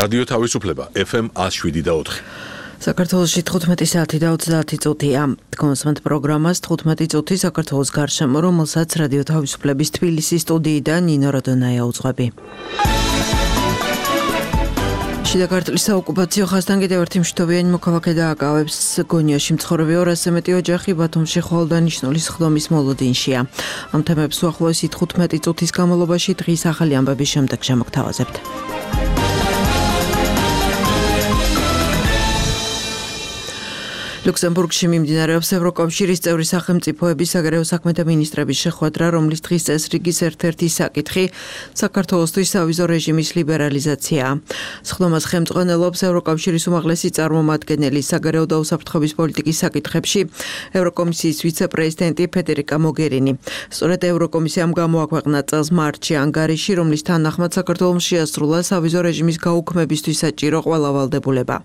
რადიო თავისუფლება FM 107.4. საქართველოში 15 საათი და 30 წუთია. კონსმენთ პროგრამას 15 წუთი საქართველოს გარშემო, რომელსაც რადიო თავისუფლების თბილისის სტუდიიდან ნინო როდონაია უძღვები. შიდა ქართლის საოკუპაციო ხაზთან კიდევ ერთი მშვიდობიანი მოქალაქე დააკავებს. გონიაში მცხოვრები 200-ზე მეტი ოჯახი ბათუმში ხვალდანიშნული სხდომის მოლოდინშია. ამ თემებს უახლოესი 15 წუთის განმავლობაში დღის ახალი ამბების შემდეგ შემოგთავაზებთ. ლუქსემბურგში მიმდინარეობს ევროკავშირის წევრი სახელმწიფოების საგარეო საქმეთა მინისტრების შეხვედრა, რომლის დღის წესრიგის ერთ-ერთი საკითხი საქართველოსთვის სავიზო რეჟიმის ლიბერალიზაციაა. სხდომას ხელმძღვანელობს ევროკავშირის უმაღლესი წარმომადგენელი საგარეო და უსაფრთხოების პოლიტიკის საკითხებში ევროკომისიის ვიცე-პრეზიდენტი ფედერიკა მოგერინი. სწორედ ევროკომისიამ გამოაქვეყნა წელს მარტში ანგარიში, რომლის თანახმად საქართველოს შეასრულა სავიზო რეჟიმის გაუქმებისთვის საჭირო ყველა ვალდებულება.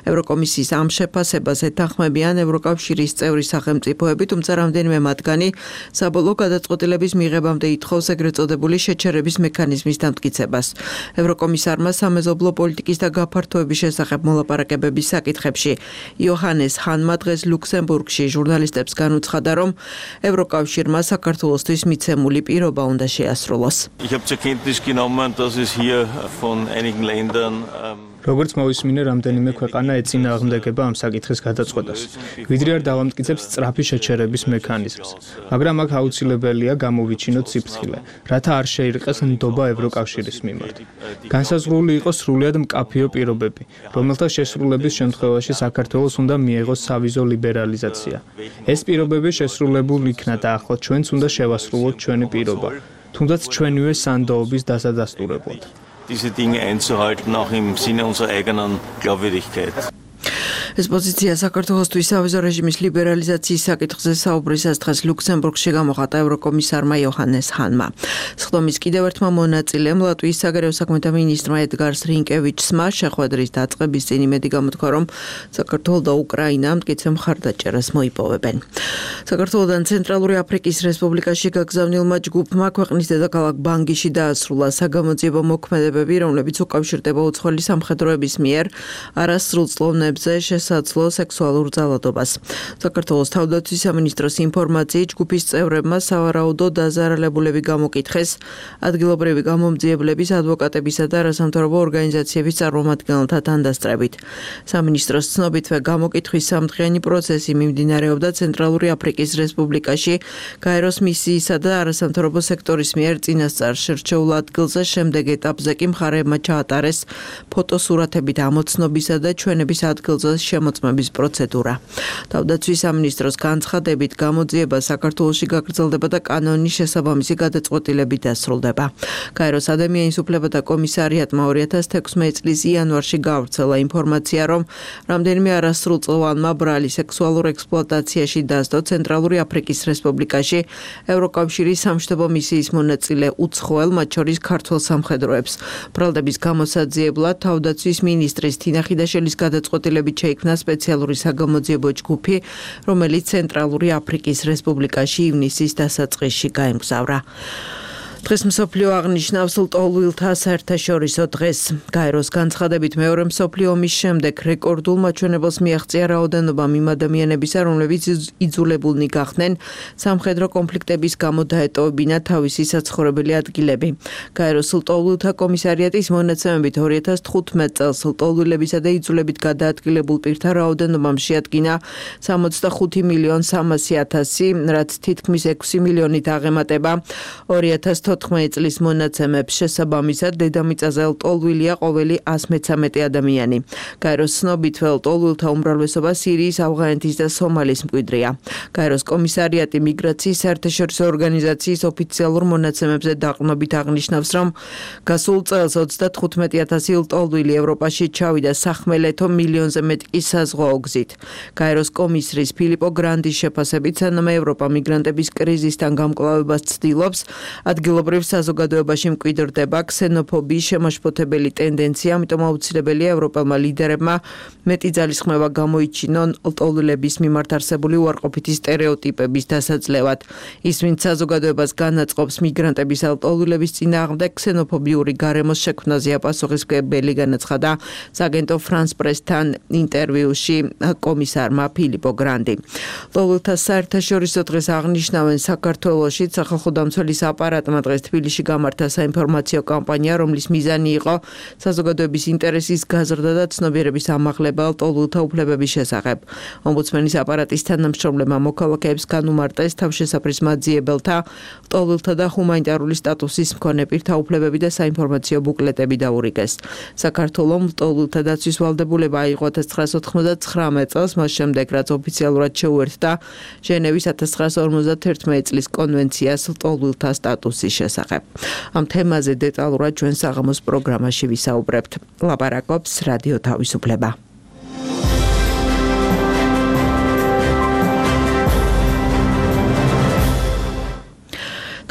ევროკომისიის ამ შეფასებას ეთანხმებიან ევროკავშირის წევრი სახელმწიფოები, თუმცა რამდენიმე მათგანი საბოლოო გადაწყვეტილების მიღებამდე ითხოვს ეგრეთ წოდებული შეჩერების მექანიზმის დამტკიცებას. ევროკომისარმა სამეზობლო პოლიტიკის და გაფართოების შესახებ მოლაპარაკებების საკითხებში იოჰანეს ჰანმა დღეს ლუქსემბურგში ჟურნალისტებს განუცხადა, რომ ევროკავშირმა საქართველოსთვის მიცემული პირობა უნდა შეასრულოს. როგორც მოვისმინე, რამდენიმე ქვეყანა ეწინააღმდეგება ამ საკითხის გადაწყვეტას, ვიდრე არ დავამტკიცებს სწრაფი შეჩერების მექანიზმს. მაგრამ აქ აუცილებელია გამოვიჩინოთ სიფრთხილე, რათა არ შეირყეს ნდობა ევროკავშირის მიმართ. განსაზღვრული იყოს სრულიად მკაფიო პირობები, რომელთა შესრულების შემთხვევაში საქართველოს უნდა მიეღოს სავიზო ლიბერალიზაცია. ეს პირობები შესრულებულ იქნა და ახლა ჩვენც უნდა შევასრულოთ ჩვენი პირობა, თუნდაც ჩვენივე სანდოობის დასადასტურებლად. Diese Dinge einzuhalten, auch im Sinne unserer eigenen Glaubwürdigkeit. ეს პოზიცია საქართველოსთვის სავიზო რეჟიმის ლიბერალიზაციის საკითხზე საუბრისას დღეს ლუქსემბურგში გამოხატა ევროკომისარმა იოჰანეს ჰანმა. სხდომის კიდევ ერთმა მონაწილემ ლატვიის საგარეო საქმეთა მინისტრმა ედგარს რინკევიჩსმა შეხვედრის დაწყების წინ იმედი გამოთქვა, რომ საქართველო და უკრაინა მტკიცე მხარდაჭერას მოიპოვებენ. საქართველოდან ცენტრალური აფრიკის რესპუბლიკაში გაგზავნილმა ჯგუფმა ქვეყნის დედაქალაქ ბანგიში დაასრულა საგამოძიებო მოქმედებები, რომლებიც უკავშირდება უცხოელი სამხედროების მიერ არასრულწლოვნებზე შესაძლო სექსუალურ ძალადობას. საქართველოს თავდაცვის სამინისტროს ინფორმაციით ჯგუფის წევრებმა სავარაუდო დაზარალებულები გამოკითხეს ადგილობრივი გამომძიებლების, ადვოკატებისა და არასამთავრობო ორგანიზაციების წარმომადგენელთა თანდასწრებით. სამინისტროს ცნობითვე გამოკითხვის სამდღიანი პროცესი მიმდინარეობდა ცენტრალური აფრიკის რესპუბლიკაში გაეროს მისიისა და არასამთავრობო სექტორის მიერ წინასწარ შერჩეულ ადგილზე. შემდეგ ეტაპზე კი მხარეებმა ჩაატარეს ფოტოსურათებით ამოცნობისა და ჩვენების ადგილზე შემოწმების პროცედურა. თავდაცვის სამინისტროს განცხადებით გამოძიება საქართველოში გაგრძელდება და კანონის შესაბამისი გადაწყვეტილებით დასრულდება. გაეროს ადამიანის უფლებათა კომისარიატმა 2016 წლის იანვარში გაავრცელა ინფორმაცია, რომ რამდენიმე არასრულწლოვანმა ბრალი სექსუალურ ექსპლუატაციაში დასდო ცენტრალური აფრიკის რესპუბლიკაში ევროკავშირის სამშვიდობო მისიის მონაწილე უცხოელ, მათ შორის ქართველ სამხედროებს. ბრალდების გამოსაძიებლად თავდაცვის მინისტრის თინა ხიდაშელის გადაწყვეტილებით შეიქმნა სპეციალური საგამოძიებო ჯგუფი, რომელიც ცენტრალური აფრიკის რესპუბლიკაში ივნისის დასაწყისში გაემგზავრა. დღეს მსოფლიო აღნიშნავს ლტოლვილთა საერთაშორისო დღეს. გაეროს განცხადებით მეორე მსოფლიო ომის შემდეგ რეკორდულ მაჩვენებელს მიაღწია რაოდენობამ იმ ადამიანებისა, რომლებიც იძულებულნი გახდნენ სამხედრო კონფლიქტების გამო დაეტოვებინა თავისი საცხოვრებელი ადგილები. გაეროს ლტოლვილთა კომისარიატის მონაცემებით 2015 წელს ლტოლვილებისა და იძულებით გადაადგილებულ პირთა რაოდენობამ შეადგინა 65.300.000, რაც თითქმის 6 მილიონით აღემატება 2014 წლის მონაცემებს. შესაბამისად, დედამიწაზე ლტოლვილია ყოველი 113 ადამიანი. გაეროს ცნობით, ლტოლვილთა უმრავლესობა სირიის, ავღანეთის და სომალის მკვიდრია. გაეროს კომისარიატი მიგრაციის საერთაშორისო ორგანიზაციის ოფიციალურ მონაცემებზე დაყრდნობით აღნიშნავს, რომ გასულ წელს 35,000 ლტოლვილი ევროპაში ჩავიდა სახმელეთო, მილიონზე მეტი კი საზღვაო გზით. გაეროს კომისრის ფილიპო გრანდის შეფასებით, სანამ ევროპა მიგრანტების კრიზისთან გამკლავებას ცდილობს, ადგილობრივი ადგილობრივ საზოგადოებაში მკვიდრდება ქსენოფობიის შემაშფოთებელი ტენდენცია, ამიტომ აუცილებელია ევროპელმა ლიდერებმა მეტი ძალისხმევა გამოიჩინონ ლტოლვილების მიმართ არსებული უარყოფითი სტერეოტიპების დასაძლევად. ის, ვინც საზოგადოებას განაწყობს მიგრანტების ლტოლვილების წინააღმდეგ ქსენოფობიური გარემოს შექმნაზე პასუხისმგებელი განაცხადა სააგენტო France Press-თან ინტერვიუში კომისარმა ფილიპო გრანდი. ლტოლვილთა საერთაშორისო დღეს აღნიშნავენ საქართველოში სახალხო დამცველის აპარატმა დღეს თბილისში გამართა საინფორმაციო კამპანია, რომლის მიზანი იყო საზოგადოების ინტერესის გაზრდა და ცნობიერების ამაღლება ლტოლვილთა უფლებების შესახებ. ომბუდსმენის აპარატის თანამშრომლებმა მოქალაქეებს განუმარტეს თავშესაფრის მაძიებელთა, ლტოლვილთა და ჰუმანიტარული სტატუსის მქონე პირთა უფლებები და საინფორმაციო ბუკლეტები დაურიგეს. საქართველომ ლტოლვილთა დაცვის ვალდებულება აიღო 1999 წელს, მას შემდეგ რაც ოფიციალურად შეუერთდა ჟენევის 1951 წლის კონვენციას ლტოლვილთა სტატუსის შესახებ. ამ თემაზე დეტალურად ჩვენ საღამოს პროგრამაში ვისაუბრებთ. ლაპარაკობს რადიო თავისუფლება.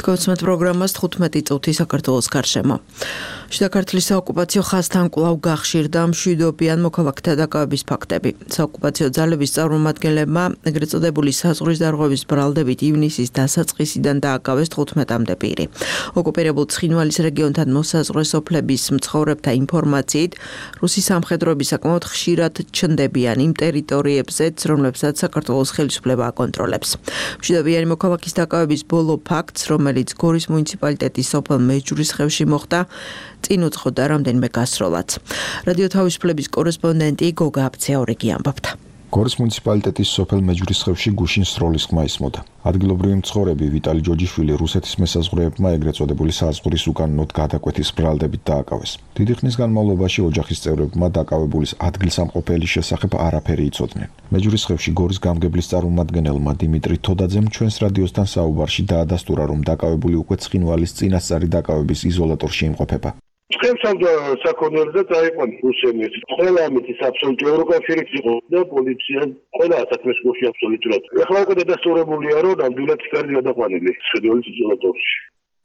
თქვენს პროგრამას 15 წუთი საქართველოს გარშემო. საქართველოს საოკუპაციო ხაზთან კვლავ გახშირდა მშვიდობიან მოქალაქეთა დაკავების ფაქტები. საოკუპაციო ძალების წარმომადგენლებმა ეგრეთ წოდებული საზღვრის დარღვევის ბრალდებით ივნისის დასაწყისიდან დააკავეს 15-მდე პირი. ოკუპირებულ ცხინვალის რეგიონთან მოსაზღვრე სოფლების მცხოვრებთა ინფორმაციით, რუსი სამხედროები საკმაოდ ხშირად ჩნდებიან იმ ტერიტორიებზეც, რომლებსაც საქართველოს ხელისუფლება აკონტროლებს. მშვიდობიანი მოქალაქის დაკავების ბოლო ფაქტს, რომელიც გორის მუნიციპალიტეტის სოფელ მეჯურისხევში მოხდა, წინ უძღოდა რამდენიმე გასროლაც. რადიო თავისუფლების კორესპონდენტი გოგა აბცეაურიგი ამბობდა. გორის მუნიციპალიტეტის სოფელ მეჯურისხევში გუშინ სროლის ხმა ისმოდა. ადგილობრივი მცხოვრები ვიტალი ჯოჯიშვილი რუსეთის მესაზღვრეებმა ეგრეთ წოდებული საზღვრის უკანონოდ გადაკვეთის ბრალდებით დააკავეს. დიდი ხნის განმავლობაში ოჯახის წევრებმა დაკავებულის ადგილსამყოფელის შესახებ არაფერი იცოდნენ. მეჯურისხევში გორის გამგებლის წარმომადგენელმა დიმიტრი თოდაძემ ჩვენს რადიოსთან საუბარში დაადასტურა, რომ დაკავებული უკვე ცხინვალის წინასწარი დაკავების იზოლატორში იმყოფება. Schemsam sakonierde წაიყვან რუსები. ყველა ამიტის აბსოლუტურად ევროკავშირიც იყო და პოლიცია ყველა საქმეს გუში აბსოლუტურად. ეხლა უკვე დადასტურებულია, რომ ნამდვილად კარგი გადაყვანილი შედიოლის იზოლატორში.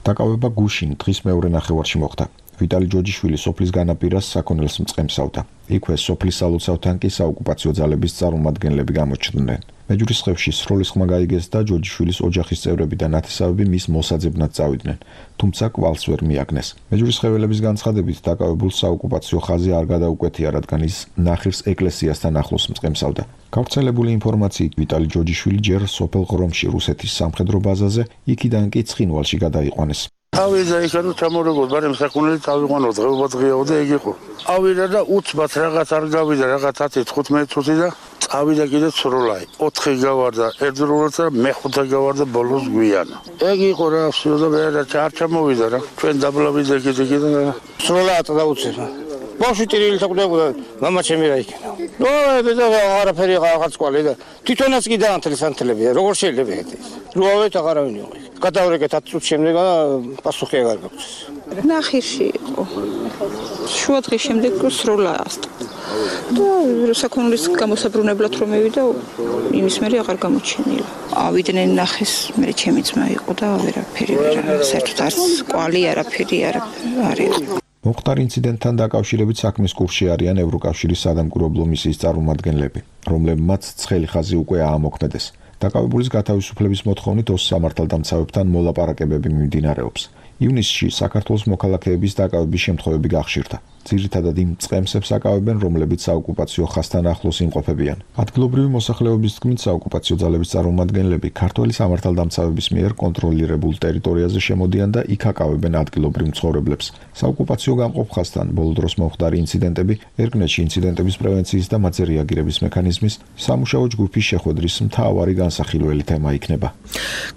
დაკავება გუშინ დღის მეორე ნახევარში მოხდა. ვიტალი ჯოჯიშვილი სოფლის განაპირას საქონელს მწყემსავდა. იქვე სოფლის სალოცავთან კი საოკუპაციო ძალების წარმომადგენლები გამოჩნდნენ. მეჯურისხევში სროლის ხმა გაიგეს და ჯოჯიშვილის ოჯახის წევრები და ნათესავები მის მოსაძებნად წავიდნენ, თუმცა კვალს ვერ მიაგნეს. მეჯურისხეველების განცხადებით დაკავებულ საოკუპაციო ხაზი არ გადაუკვეთია, რადგან ის ნახირს ეკლესიასთან ახლოს მწყემსავდა. გავრცელებული ინფორმაციით ვიტალი ჯოჯიშვილი ჯერ სოფელ ღრომში რუსეთის სამხედრო ბაზაზე, იქიდან კი ცხინვალში გადაიყვანეს. ავიდა იქანო ჩამორეგოთ, მაგრამ საკონელი წავიყვანო, დღეობა დღეაო და ეგ იყო. ავიდა და უცბად რაღაც არ გავიდა, რაღაც 10-15 წუთი და წავიდა კიდე სროლაი. 4 გავარდა ერთდროულად და მეხუთე გავარდა ბოლოს გვიან. ეგ იყო რა, всё და არ ჩამოვიდა რა. ჩვენ დაბლავიდა კიდე და სროლა დაუცემა. ბავშვი ტირილი თაკდებოდა, მამა ჩემი რა იქნა. ნუ და არაფერი რაღაც ყვალი და თვითონაც კი დაანთლეს ანთლები, როგორ შეიძლება ეს? რუავეთ აღარავინ იყო. გადავრეკეთ 10 წუთის შემდეგ პასუხი აღარ გაქვს. ნახირში იყო. შუა დღის შემდეგ სროლა ასტა. და საქონლის გამოსაბრუნებლად რომ მივიდა, იმის მერე აღარ გამოჩენილა. ავიდნენ ნახეს, მე ჩემი ძმა იყო და ვერაფერი საერთოდ არც ყვალი არაფერი არ იყო. მოხდარ ინციდენტთან დაკავშირებით საქმის კურსში არიან ევროკავშირის სადამკვირვებლო მისიის წარმომადგენლები, რომლებმაც ცხელი ხაზი უკვე აამოქმედეს. დაკავებულის გათავისუფლების მოთხოვნით ოს სამართალდამცავებთან მოლაპარაკებები მიმდინარეობს. ივნისში საქართველოს მოქალაქეების დაკავების შემთხვევები გახშირდა. ძირითადად იმ წყემსებს აკავებენ, რომლებიც საოკუპაციო ხაზთან ახლოს იმყოფებიან. ადგილობრივი მოსახლეობის თქმით, საოკუპაციო ძალების წარმომადგენლები ქართველი სამართალდამცავების მიერ კონტროლირებულ ტერიტორიაზე შემოდიან და იქ აკავებენ ადგილობრივ მცხოვრებლებს. საოკუპაციო გამყოფ ხაზთან ბოლო დროს მომხდარი ინციდენტები, ერგნეთში ინციდენტების პრევენციის და მათზე რეაგირების მექანიზმის სამუშაო ჯგუფის შეხვედრის მთავარი განსახილველი თემა იქნება.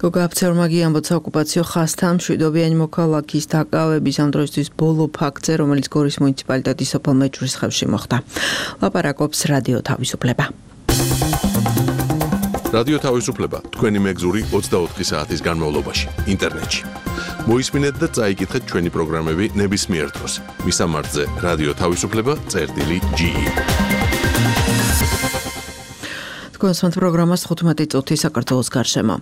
გოგა აბცეაურმა გიამბოთ საოკუპაციო ხაზთან მშვიდობიანი მოქალაქის დაკავების ამ დროისთვის ბოლო ფაქტზე, რომელიც გორის მუნიციპალიტეტის სოფელ მეჯურისხევში მოხდა. ლაპარაკობს რადიო თავისუფლება. რადიო თავისუფლება თქვენი მეგზური 24 საათის განმავლობაში ინტერნეტში. მოისმინეთ და წაიკითხეთ ჩვენი პროგრამები ნებისმიერ დროს. მისამართზე რადიო თავისუფლება.ge კონსვანტ პროგრამას 15 წუთი საქართველოს გარშემო.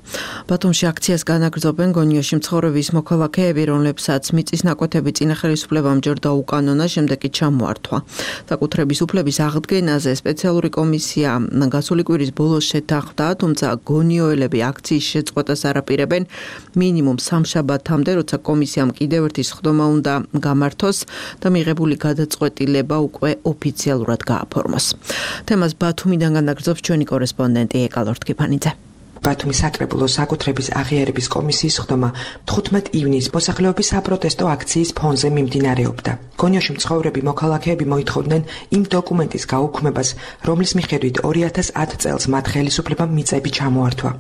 ბათუმში აქციას განაგრძობენ გონიოში მცხოვრების მოქალაქეები, რომლებსაც მიწის ნაკვეთები წინა ხელისუფლებამ ჯერდა უკანონა, შემდეგ კი ჩამოართვა. საკუთრების უფლების აღდგენაზე სპეციალური კომისია გასული კვირის ბოლოს შეთანხმდა, თუმცა გონიოელები აქციის შეწყვეტას არაპირებენ მინიმუმ სამშაბათამდე, როცა კომისიამ კიდევ ერთი სხდომა უნდა გამართოს და მიღებული გადაწყვეტილება უკვე ოფიციალურად გააფორმოს. თემას ბათუმიდან განაგრძობს ჩვენი კორესპონდენტი ეკალორთ კიფანიძე. ბათუმის საკრებულოს საკუთრების აღიარების კომისიის სხდომა 15 ივნისს მოსახლეობის საპროტესტო აქციის ფონზე მიმდინარეობდა. გონიოში მცხოვრები მოქალაქეები მოითხოვდნენ იმ დოკუმენტის გაუქმებას, რომლის მიხედვით 2010 წელს მათ ხელისუფლებამ მიწები ჩამოართვა.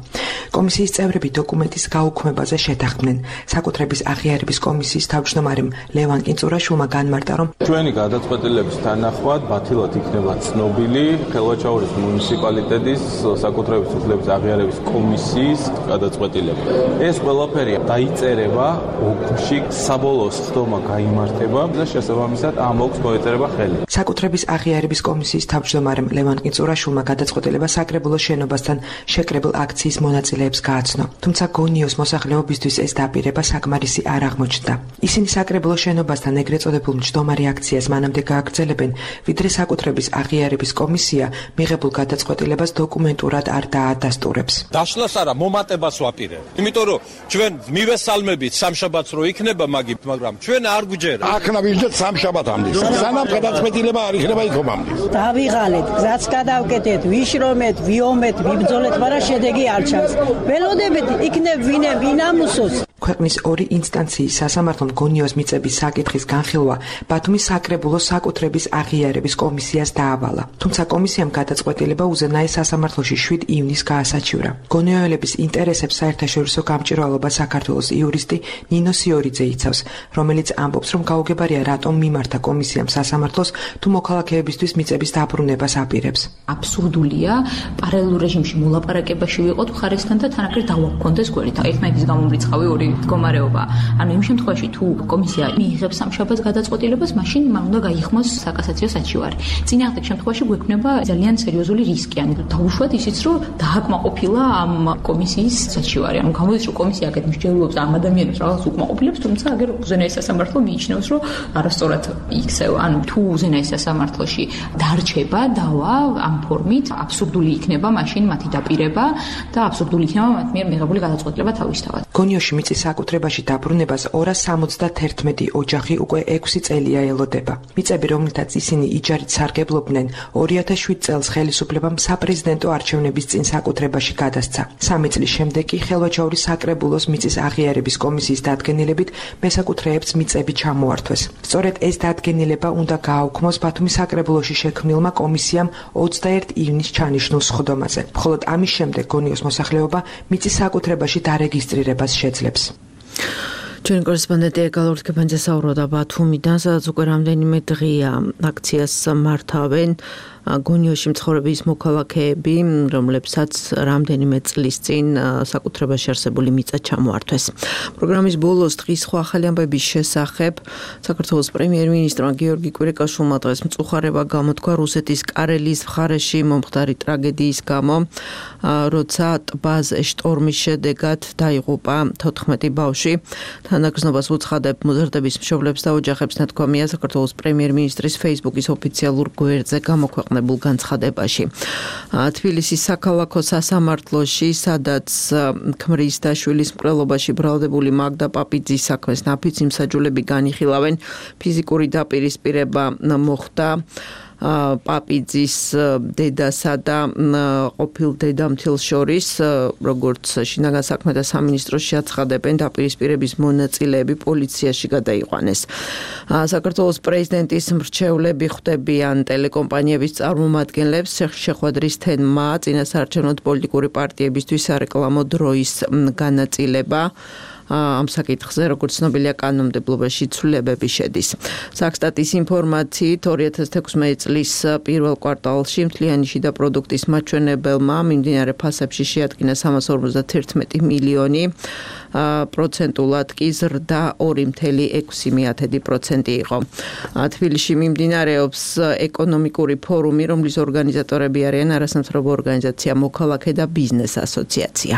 კომისიის წევრები დოკუმენტის გაუქმებაზე შეთანხმდნენ. საკუთრების აღიარების კომისიის თავმჯდომარემ ლევან კინწურაშვილმა განმარტა, რომ ჩვენი გადაწყვეტილების თანახმად ბათილად იქნება ცნობილი ხელვაჩაურის მუნიციპალიტეტის საკუთრების უფლების აღიარების კომისიის გადაწყვეტილება. ეს ყველაფერი დაიწერება ოკში, საბოლოო სხდომა გაიმართება და შესაბამისად ამ ოკს მოეწერება ხელი. საკუთრების აღიარების კომისიის თავმჯდომარემ ლევან კინწურაშვილმა გადაწყვეტილება საკრებულოს შენობასთან შეკრებილ აქციის მონაწილეებს გააცნო. თუმცა გონიოს მოსახლეობისთვის ეს დაპირება საკმარისი არ აღმოჩნდა. ისინი საკრებულოს შენობასთან ეგრეთ წოდებულ მჯდომარე აქციას მანამდე გააგრძელებენ, ვიდრე საკუთრების აღიარების კომისია მიღებულ გადაწყვეტილებას დოკუმენტურად არ დაადასტურებს. დაშლას არა, მომატებას ვაპირებ. იმიტომ რომ ჩვენ მივესალმებით სამშაბათს რო იქნება მაგრამ ჩვენ არ გვჯერა. აქნა ვიჟდეთ სამშაბათამდე. სანამ გადაწყვეტილება არ იქნება იქომამდე. დავიღალეთ, გზაც გადავკეთეთ, ვიშრომეთ, ვიომეთ, ვიბრძოლეთ, მაგრამ შედეგი არ ჩანს. ველოდებით იქნებ ვინ ამუსოს. ქვეყნის ორი ინსტანციის სასამართლომ გონიოს მიწების საკითხის განხილვა ბათუმის საკრებულოს საკუთრების აღიარების კომისიას დაავალა. თუმცა კომისიამ გადაწყვეტილება უზენაეს სასამართლოში 7 ივნისს გაასაჩივრა. გონიოელების ინტერესებს საერთაშორისო გამჭვირვალობა საქართველოს იურისტი ნინო სიორიძე იცავს, რომელიც ამბობს, რომ გაუგებარია რატომ მიმართა კომისიამ სასამართლოს თუ მოქალაქეებისთვის მიწების დაბრუნებას აპირებს. აბსურდულია პარალელურ რეჟიმში მოლაპარაკებაში ვიყოთ მხარესთან და თანაკლით დავაგქონდეს გვერდით. ერთმანეთის გამომრიცხავი ორი მდგომარეობა. ანუ იმ შემთხვევაში თუ კომისია მიიღებს სამშაბათს გადაწყვეტილებას, მაშინ მან უნდა გაიხმოს საკასაციო საჩივარი. წინააღმდეგ შემთხვევაში გვექნება ძალიან სერიოზული რისკი. ანუ დაუშვათ ისიც, რომ დააკმაყოფილა ამ კომისიის საჩივარი. ანუ გამოდის, რომ კომისია აქეთ მსჯელობს ამ ადამიანებს რაღაც უკმაყოფილებს, თუმცა აგერ უზენაეს სასამართლო მიიჩნევს, რომ არასწორად იქცევა. ანუ თუ უზენაეს სასამართლოში დარჩება დავა ამ ფორმით, აბსურდული იქნება მაშინ მათი დაპირება და აბსურდული იქნება მათ მიერ მიღებული გადაწყვეტილება თავისთავად. გონიოში მიწის საკუთრებაში დაბრუნებას 271 ოჯახი უკვე 6 წელია ელოდება. მიწები, რომლითაც ისინი იჯარით სარგებლობდნენ, 2007 წელს ხელისუფლებამ საპრეზიდენტო არჩევნების წინ საკუთრებაში გადასცა. 3 წლის შემდეგ კი ხელვაჩაურის საკრებულოს მიწის აღიარების კომისიის დადგენილებით მესაკუთრეებს მიწები ჩამოართვეს. სწორედ ეს დადგენილება უნდა გააუქმოს ბათუმის საკრებულოში შექმნილმა კომისიამ 21 ივნისს ჩანიშნულ სხდომაზე. მხოლოდ ამის შემდეგ გონიოს მოსახლეობა მიწის საკუთრებაში დარეგისტრირებას შეძლებს. ჩვენი კორესპონდენტი ეკალორთ კიფანიძე საუბრობდა ბათუმიდან, სადაც უკვე რამდენიმე დღეა აქციას მართავენ გონიოში მცხოვრების მოქალაქეები, რომლებსაც რამდენიმე წლის წინ საკუთრებაში არსებული მიწა ჩამოართვეს. პროგრამის ბოლოს დღის სხვა ახალი ამბების შესახებ საქართველოს პრემიერ-მინისტრმა გიორგი კვირიკაშვილმა დღეს მწუხარება გამოთქვა რუსეთის კარელიის მხარეში მომხდარი ტრაგედიის გამო, როცა ტბაზე შტორმის შედეგად დაიღუპა 14 ბავშვი. თანაგრძნობას უცხადებ მოზარდების მშობლებს და ოჯახებს, ნათქვამია საქართველოს პრემიერ-მინისტრის Facebook-ის ოფიციალურ გვერდზე გამოქვეყნებულ განცხადებაში. თბილისის საქალაქო სასამართლოში, სადაც ქმრის და შვილის მკვლელობაში ბრალდებული მაგდა პაპიძის საქმეს ნაფიც იმსაჯულები განიხილავენ, ფიზიკური დაპირისპირება მოხდა პაპიძის დედასა და ყოფილ დედამთილს შორის, როგორც შინაგან საქმეთა სამინისტროს შეაცხადებენ, დაპირისპირების მონაწილეები პოლიციაში გადაიყვანეს. საქართველოს პრეზიდენტის მრჩევლები ხვდებიან ტელეკომპანიების წარმომადგენლებს, შეხვედრის თემა წინასაარჩევნო პოლიტიკური პარტიებისთვის სარეკლამო დროის განაწილება. ამ საკითხზე, როგორც ცნობილია, კანონმდებლობაში ცვლილებები შედის. საქსტატის ინფორმაციით 2016 წლის პირველ კვარტალში მთლიანი შიდა პროდუქტის მაჩვენებელმა მიმდინარე ფასებში შეადგინა 351 მილიონი პროცენტულად კი ზრდა 2.6% იყო. თბილისში მიმდინარეობს ეკონომიკური ფორუმი, რომლის ორგანიზატორები არიან არასამთავრობო ორგანიზაცია მოქალაქე და ბიზნეს ასოციაცია.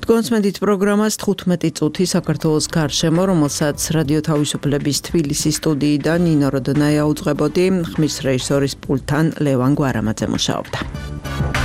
თქვენსმენდით პროგრამას 15 წუთი საქართველოს გარშემო, რომელსაც რადიო თავისუფლების თბილისის სტუდიიდან ნინო როდნაია უძღვებოდი, ხმის რეჟისორის პულტთან ლევან გვარამაძე მუშაობდა.